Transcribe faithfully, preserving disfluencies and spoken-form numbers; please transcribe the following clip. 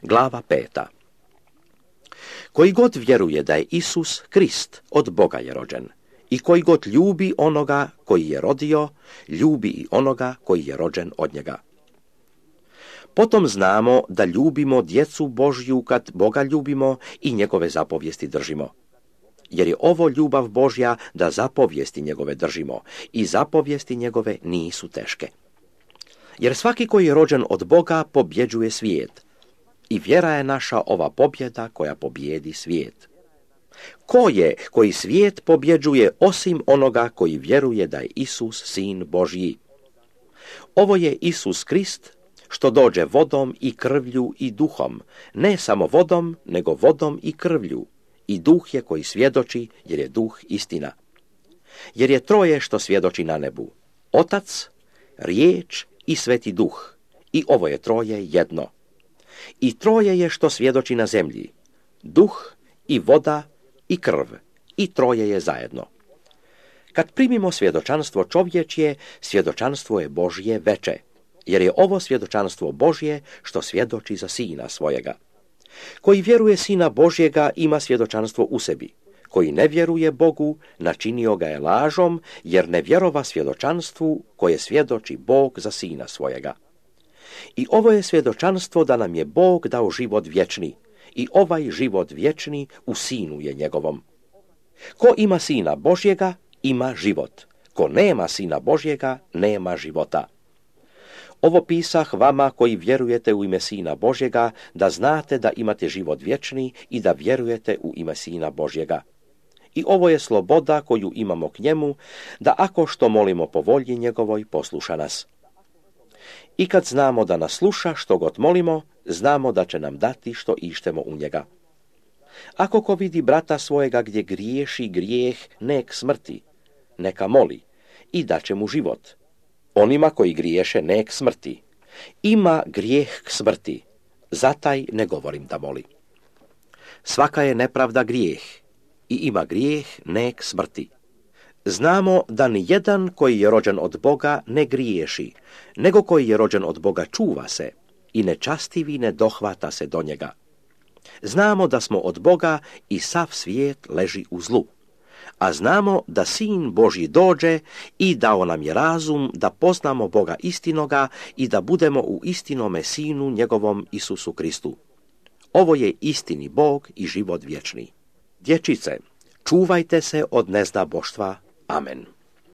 Glava peta. Koji god vjeruje da je Isus Krist, od Boga je rođen. I koji god ljubi onoga koji je rodio, ljubi i onoga koji je rođen od njega. Potom znamo da ljubimo djecu Božju kad Boga ljubimo i njegove zapovijesti držimo. Jer je ovo ljubav Božja da zapovijesti njegove držimo i zapovijesti njegove nisu teške. Jer svaki koji je rođen od Boga pobjeđuje svijet. I vjera je naša ova pobjeda koja pobjedi svijet. Ko je koji svijet pobjeđuje osim onoga koji vjeruje da je Isus Sin Božji? Ovo je Isus Krist, što dođe vodom i krvlju i duhom, ne samo vodom, nego vodom i krvlju. I duh je koji svjedoči, jer je duh istina. Jer je troje što svjedoči na nebu. Otac, riječ i sveti duh. I ovo je troje jedno. I troje je što svjedoči na zemlji. Duh i voda i krv. I troje je zajedno. Kad primimo svjedočanstvo čovječje, svjedočanstvo je Božje veče. Jer je ovo svjedočanstvo Božje što svjedoči za Sina svojega. Koji vjeruje Sina Božjega ima svjedočanstvo u sebi. Koji ne vjeruje Bogu, načinio ga je lažom, jer ne vjerova svjedočanstvu koje svjedoči Bog za Sina svojega. I ovo je svjedočanstvo da nam je Bog dao život vječni, i ovaj život vječni u Sinu je njegovom. Ko ima Sina Božjega, ima život. Ko nema Sina Božjega, nema života. Ovo pisah vama koji vjerujete u ime Sina Božjega, da znate da imate život vječni i da vjerujete u ime Sina Božjega. I ovo je sloboda koju imamo k njemu, da ako što molimo po volji njegovoj, posluša nas. I kad znamo da nas sluša što god molimo, znamo da će nam dati što ištemo u njega. Ako ko vidi brata svojega gdje griješi grijeh, nek smrti, neka moli i daće mu život. Onima koji griješe nek smrti. Ima grijeh k smrti, zataj ne govorim da moli. Svaka je nepravda grijeh i ima grijeh nek smrti. Znamo da ni jedan koji je rođen od Boga ne griješi, nego koji je rođen od Boga čuva se i nečastivi ne dohvata se do njega. Znamo da smo od Boga i sav svijet leži u zlu. A znamo da Sin Božji dođe i dao nam je razum da poznamo Boga istinoga i da budemo u istinome Sinu njegovom Isusu Kristu. Ovo je istini Bog i život vječni. Dječice, čuvajte se od nezdaboštva. Amen.